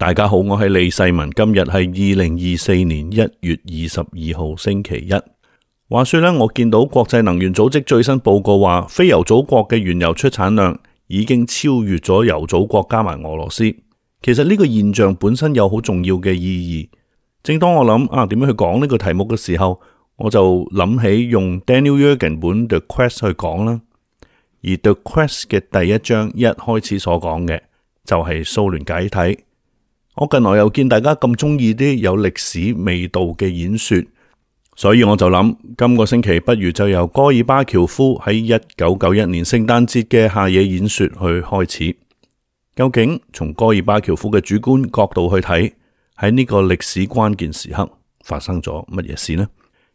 大家好，我係李世民。今日係2024年1月22號星期一。話說呢，我見到國際能源組織最新報告話，非油祖國嘅原油出產量已經超越咗油祖國加埋俄羅斯。其實呢個現象本身有好重要嘅意義。正當我諗點樣去講呢個題目嘅時候，我就諗起用 Daniel Yergin 本 The Quest 去講啦。而 The Quest 嘅第一章一開始所講嘅就係蘇聯解體。我近來又見大家咁中意啲有歷史味道嘅演說，所以我就諗今個星期不如就由戈爾巴喬夫喺1991年聖誕節嘅下野演說去開始。究竟從戈爾巴喬夫嘅主觀角度去睇，喺呢個歷史關鍵時刻發生咗乜嘢事呢？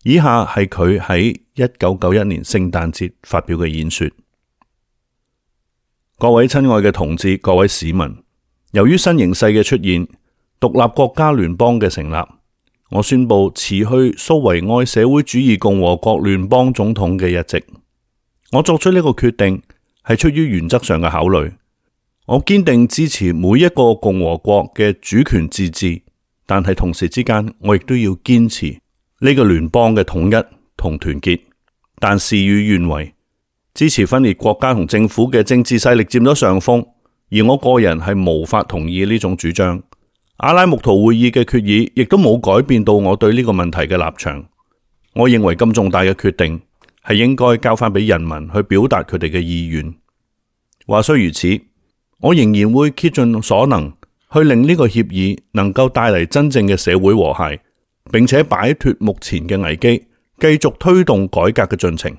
以下係佢喺1991年聖誕節發表嘅演說。各位親愛嘅同志，各位市民，由於新形勢嘅出現，獨立國家聯邦嘅成立，我宣布辭去蘇維埃社會主義共和國聯邦總統嘅一職。我作出呢個決定係出於原則上嘅考慮。我堅定支持每一個共和國嘅主權自治，但係同時之間，我亦都要堅持呢個聯邦嘅統一同團結。但事與願違，支持分裂國家同政府嘅政治勢力佔咗上風。而我個人係無法同意呢種主張。阿拉木圖會議嘅決議亦都冇改變到我對呢個問題嘅立場。我認為咁重大嘅決定係應該交翻俾人民去表達佢哋嘅意願。話雖如此，我仍然會竭盡所能去令呢個協議能夠帶嚟真正嘅社會和諧，並且擺脫目前嘅危機，繼續推動改革嘅進程。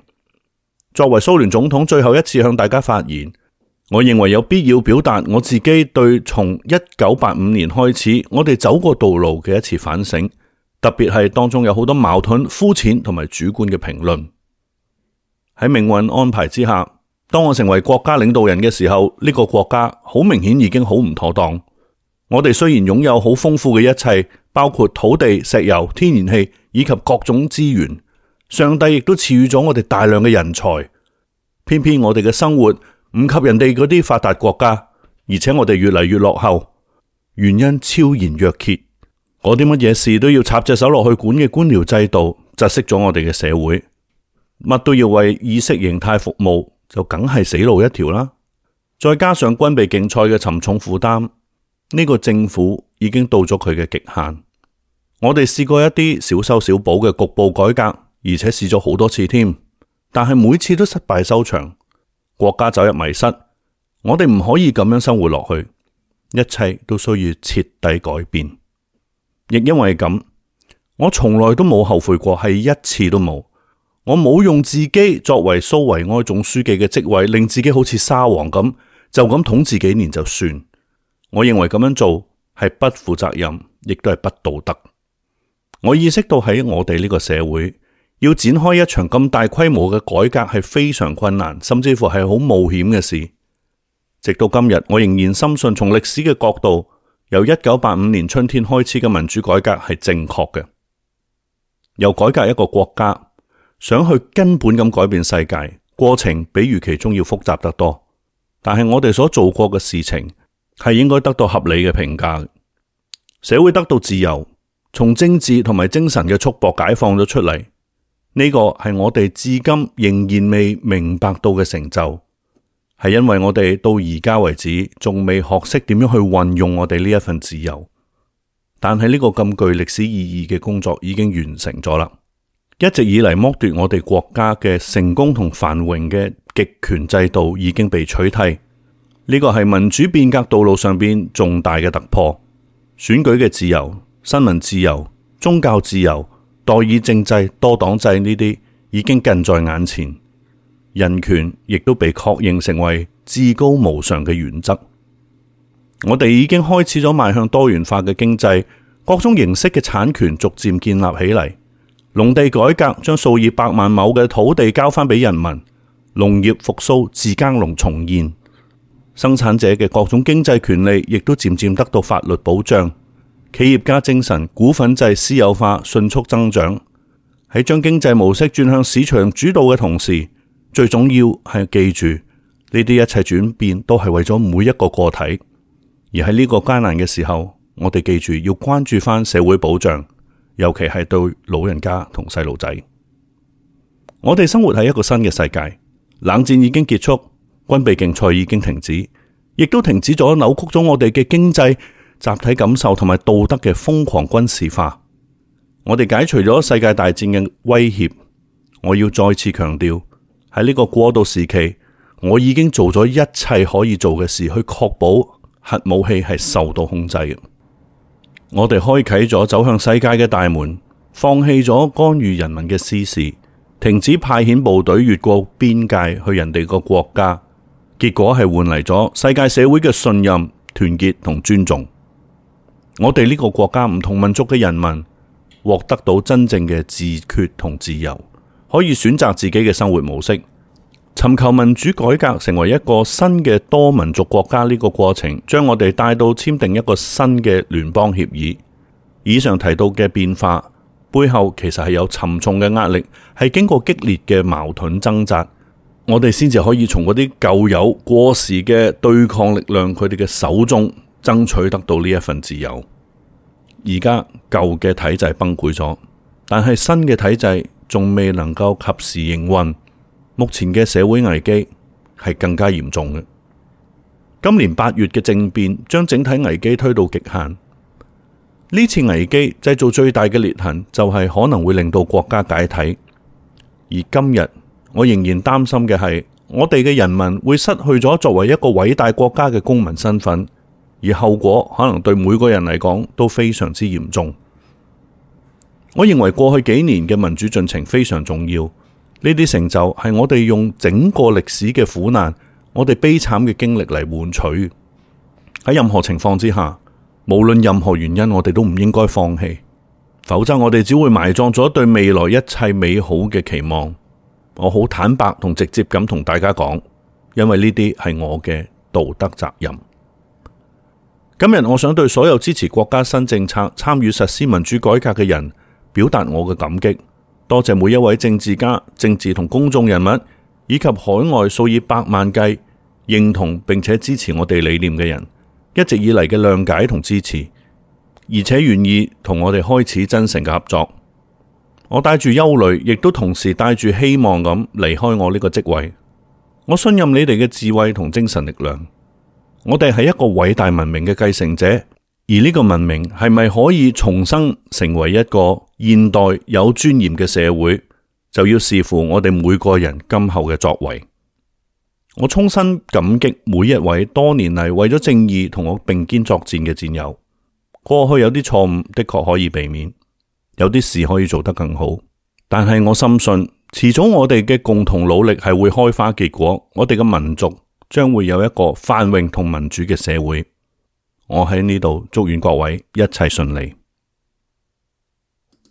作為蘇聯總統最後一次向大家發言，我認為有必要表達我自己對從1985年開始我哋走過道路嘅一次反省，特別係當中有好多矛盾、膚淺同埋主觀嘅評論。喺命運安排之下，當我成為國家領導人嘅時候，呢個國家好明顯已經好唔妥當。我哋雖然擁有好豐富嘅一切，包括土地、石油、天然氣以及各種資源，上帝亦都賜予咗我哋大量嘅人才，偏偏我哋嘅生活唔及人哋嗰啲發達國家，而且我哋越嚟越落後，原因昭然若揭。嗰啲乜嘢事都要插隻手落去管嘅官僚制度，窒息咗我哋嘅社會，乜都要為意識形態服務，就梗係死路一條啦。再加上軍備競賽嘅沉重負擔，呢個政府已經到咗佢嘅極限。我哋試過一啲小修小補嘅局部改革，而且試咗好多次添，但係每次都失敗收場。國家走入迷失，我哋唔可以咁樣生活落去，一切都需要徹底改變。亦因為咁，我從來都冇後悔過，係一次都冇。我冇用自己作為蘇維埃總書記嘅職位，令自己好似沙皇咁，就咁統治幾年就算。我認為咁樣做係不負責任，亦都係不道德。我意識到喺我哋呢個社會，要展開一場咁大規模嘅改革係非常困難，甚至乎係好冒險嘅事。直到今日，我仍然深信從歷史嘅角度，由1985年春天開始嘅民主改革係正確嘅。由改革一個國家，想去根本咁改變世界，過程比預期中要複雜得多。但係我哋所做過嘅事情係應該得到合理嘅評價。社會得到自由，從政治同埋精神嘅束縛解放咗出嚟。呢個係我哋至今仍然未明白到嘅成就，係因為我哋到而家為止仲未學識點樣去運用我哋呢一份自由。但係呢個咁具歷史意義嘅工作已經完成咗啦。一直以嚟剝奪我哋國家嘅成功同繁榮嘅極權制度已經被取締，呢個係民主變革道路上邊重大嘅突破。選舉嘅自由、新聞自由、宗教自由、代議政制、多黨制呢啲已經近在眼前，人權亦都被確認成為至高無上嘅原則。我哋已經開始咗邁向多元化嘅經濟，各種形式嘅產權逐漸建立起嚟。農地改革將數以百萬畝嘅土地交翻俾人民，農業復甦，自耕農重現，生產者嘅各種經濟權利亦都漸漸得到法律保障。企業家精神、股份制私有化迅速增長。喺將經濟模式轉向市場主導嘅同時，最重要係記住呢啲一切轉變都係為咗每一個個體。而喺呢個艱難嘅時候，我哋記住要關注返社會保障，尤其係對老人家同細路仔。我哋生活喺一個新嘅世界，冷戰已經結束，軍備競賽已經停止，亦都停止咗扭曲咗我哋嘅經濟、集體感受同埋道德嘅瘋狂軍事化。我哋解除咗世界大戰嘅威脅。我要再次強調，喺呢個過渡時期，我已經做咗一切可以做嘅事，去確保核武器係受到控制嘅。我哋開啟咗走向世界嘅大門，放棄咗干預人民嘅私事，停止派遣部隊越過邊界去人哋個國家，結果係換嚟咗世界社會嘅信任、團結同尊重。我哋呢個國家唔同民族嘅人民獲得到真正嘅自決同自由，可以選擇自己嘅生活模式，尋求民主改革，成為一個新嘅多民族國家。呢個過程將我哋帶到簽訂一個新嘅聯邦協議。以上提到嘅變化背後其實係有沉重嘅壓力，係經過激烈嘅矛盾掙扎，我哋先至可以從嗰啲舊有過時嘅對抗力量佢哋嘅手中爭取得到呢一份自由。而家舊嘅體制崩潰咗，但係新嘅體制仲未能夠及時營運，目前嘅社會危機係更加嚴重嘅。今年8月嘅政變將整體危機推到極限，呢次危機製造最大嘅裂痕就係可能會令到國家解體。而今日我仍然擔心嘅係，我哋嘅人民會失去咗作為一個偉大國家嘅公民身份，而後果可能對每個人嚟講都非常之嚴重。我認為過去幾年嘅民主進程非常重要，呢啲成就係我哋用整個歷史嘅苦難，我哋悲慘嘅經歷嚟換取。喺任何情況之下，無論任何原因，我哋都唔應該放棄，否則我哋只會埋葬咗對未來一切美好嘅期望。我好坦白同直接咁同大家講，因為呢啲係我嘅道德責任。今日我想對所有支持國家新政策、參與實施民主改革嘅人表達我嘅感激，多謝每一位政治家、政治同公眾人物，以及海外數以百萬計認同並且支持我哋理念嘅人，一直以嚟嘅諒解同支持，而且願意同我哋開始真誠嘅合作。我帶住憂慮，亦都同時帶住希望咁離開我呢個職位。我信任你哋嘅智慧同精神力量。我哋係一個偉大文明嘅繼承者，而呢個文明係咪可以重生成為一個現代有尊嚴嘅社會，就要視乎我哋每個人今後嘅作為。我衷心感激每一位多年嚟為咗正義同我並肩作戰嘅戰友。過去有啲錯誤的確可以避免，有啲事可以做得更好，但係我深信遲早我哋嘅共同努力係會開花結果，我哋嘅民族將會有一個繁榮同民主嘅社會。我喺呢度祝願各位一切順利。